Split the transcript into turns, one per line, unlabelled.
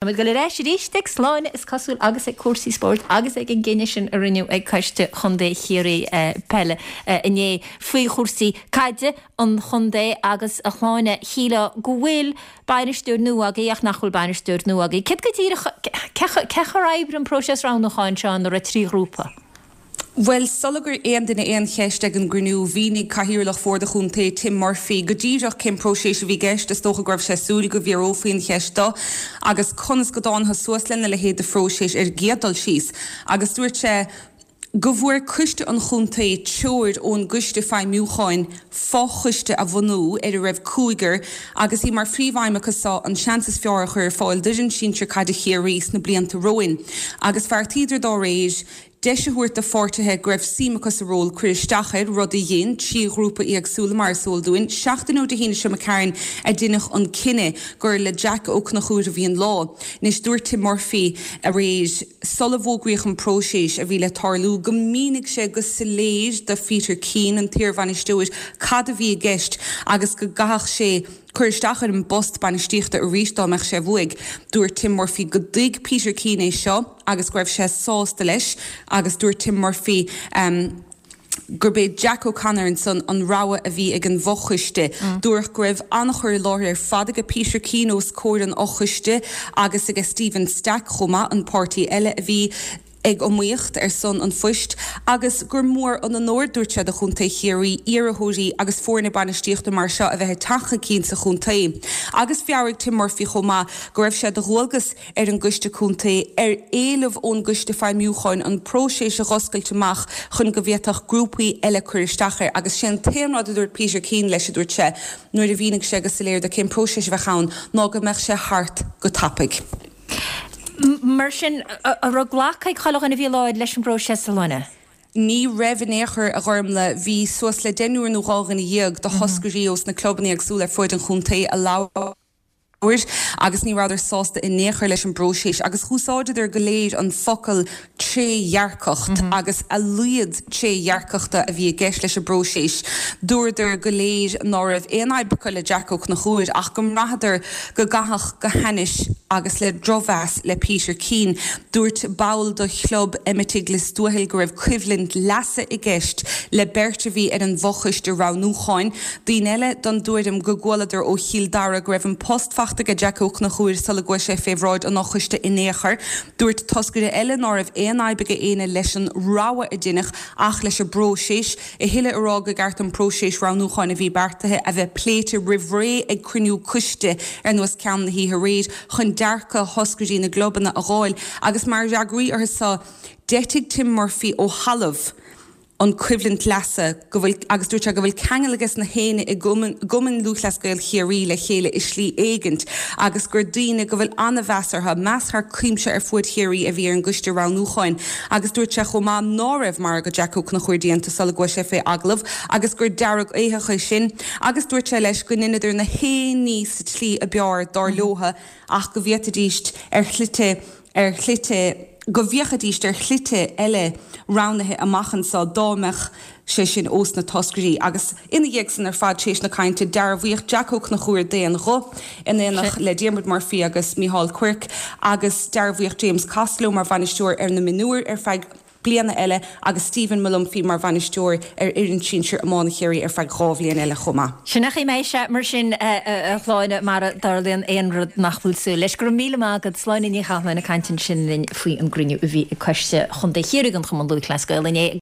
Táimid ag dul ar ais arís ag Sláine is cosúil agus ag cúrsaí spóirt agus ag an gcinneadh sin a rinneadh ag Coiste Chontae Chiarraí Peile inné faoi chúrsaí caide an chontae agus a Shláine, shílfeá go bhfuil bainisteoir nua agaibh ach nach bhfuil bainisteoir nua agaibh. Céard go díreach, cén chaoi ar oibrigh an próiseas roghnúcháin seo ina raibh 3 ghrúpa?
Bhuel, sula gcuir aon duine aon cheist ag an gcruinniú, mhínigh Cathaoirleach Bhord an Chontae, Tim Murphy, go díreach cén próiseas a bhí i gceist. Is dócha go raibh sé ag súil go bhfiafrófaí an cheist dó agus conas go dtángthas suas lena leithéid de phróiseas ar an gcéad dul síos. Agus dúirt sé go bhfuair coiste an chontae treoir ón gcoiste feidhmiúcháin fo-choiste a bhunú ar a raibh cúigear agus í mar phríomhaidhm acu so an seans is fearr a chur ar fáil d'fhoireann sinsir caide Chiarraí sna blianta romhainn. Agus bheartaíodar dá réir. deis a thabhairt do pháirtithe go raibh suim acu sa ról cur isteach air, rud a dhein 3 ghrúpa éagsúla, mar is eol dúinn. Seachtain ó Dé hAoine seo imigh tharainn a deineadh an cinneadh gur le Jack Ó Conchúir a bhí an lá. Anois, dúirt Tim Murphy aréir, sula bhfógraíodh an próiseas a bhí le tarlú, go mínigh sé go soiléir do Pheter Keane, an t-iarbhainisteoir, cad a bhí i gceist agus go gcaithfeadh sé cur isteach ar an bpost bainistíochta arís dá mbeadh sé uaidh. Dúirt Tim Murphy go dtuig Peter Keane é seo. agus go raibh sé sásta leis agus dúirt Tim Murphy gurb é Jack O'Connor ansan an rogha a bhí ag an bhfochoiste. Dúradh go raibh an-chur i láthair ar fad aige Peter Keane os comhair an fhochoiste agus aige Stephen Stack chomh maith, an páirtí eile a bhí ag iomaíocht ar son an phoist, agus gur mór an onóir, dúirt sé, do Chontae Chiarraí iarrthóirí agus foirne bainistíochta mar seo a bheith ag teacht chun cinn sa chontae. Agus mheabhraigh Tim Murphy chomh maith go raibh sé de dhualgas ar an gCoiste Contae, ar éileamh ón gCoiste Feidhmiúcháin, an próiseas a dh'oscailt amach chun go bhféadfadh grúpaí eile cur isteach air agus sé an t-aon rud a dúirt Peter Keane leis, a dúirt sé, nuair a mhínigh sé go soiléir dó cén próiseas a bheadh ann, ná go mbeadh sé thart
go tapaidh. Mar sin, an raibh glactha ag chuile dhuine a bhí i láthair leis an bpróiseas, a Shláine?
Ní raibh in aon chor, a Ghormlaith. Bhí suas le deichniúr nó 12 dhuine de thoscairí ós na clubanna éagsúla ar fuaid an chontae a labhair. agus ní rabhadar sásta in aon chor leis an bpróiseas agus dh'úsáideadar go léir an focal trédhearcacht agus a laghad trédhearcachta a bhí i gceist leis an bpróiseas. Dúradar go léir ná raibh aon fhadhb acu le Jack Ó Conchúir ach go mbraitheadar go gcaitheadh go hainnis agus le drochmheas le Peter Keane. Dúirt ball de chlub Eimitigh Lios Tuathail go raibh coimhlint leasa i gceist le beirt a bhí ar an bhfochoiste roghnúcháin. Daoine eile den dtuairim go gcualadar ó Chill Dara go raibh an post fachta aige Jack Ó Conchúir sula gcuaigh sé fé bhráid an fhochoiste in aon chor. Dúirt toscaire eile ná raibh aon fhadhb aige éinne leis an rogha a deineadh ach leis an bpróiseas. A thuilleadh a rá go gceart an próiseas roghnúcháin a bhí beartaithe a bheith pléite roimh ré ag cruinniú coiste ar nós ceann na hoíche aréir chun dearcadh thoscairí na gclubanna a dh'fháil agus mar fhreagraí orthu so d'eitigh Tim Murphy ó thalamh an coimhlint leasa go bhfuil agus dúirt sé go bhfuil ceangal aige na héinne i gCumann Lúthchleas Gael Chiarraí le chéile i slí éigint agus gur daoine go bhfuil an-mheas orthu, meas thar cuimse ar fuaid Chiarraí a bhí ar an gcoiste roghnúcháin agus dúirt sé chomh maith ná raibh margadh Jack Ó Conchúir déanta sula gcuaigh sé fé agallamh agus gur dearg-éitheach é sin agus dúirt sé leis go ndeineadar na haon ní sa tslí a b'fhearr dar leotha ach go bhféadfaidíst ar shlite ar shlite, go bhféachfaidíst ar shlite eile roghnaithe amach anso dá mbeadh sé sin ós na toscairí. Agus ina dhiaidh san ar fad, tar éis na cainte, dearbhaíodh Jack Ó Conchúir d'aon ghuth, in éineacht le Diarmuid Murphy agus Micheál Quirke, agus dearbhaíodh James Costello mar bhainisteoir ar na mionúir ar feadh bliana eile agus Stephen Molumphy mar bhainisteoir ar fhoireann sinsir iomána Chiarraí ar feadh 2 bhliain eile chomh maith.
Sin é an chaoi a mbeidh sé mar sin, a Shláine, mara dtarlaíonn aon rud nach bhfuil súil leis. Go raibh míle maith agat. Sláine Ní Chathalláin ag caint ansin linn faoi an gcruinniú a bhí ag Coiste Chontae Chiarraí den Chumann Lúthchleas Gael inné.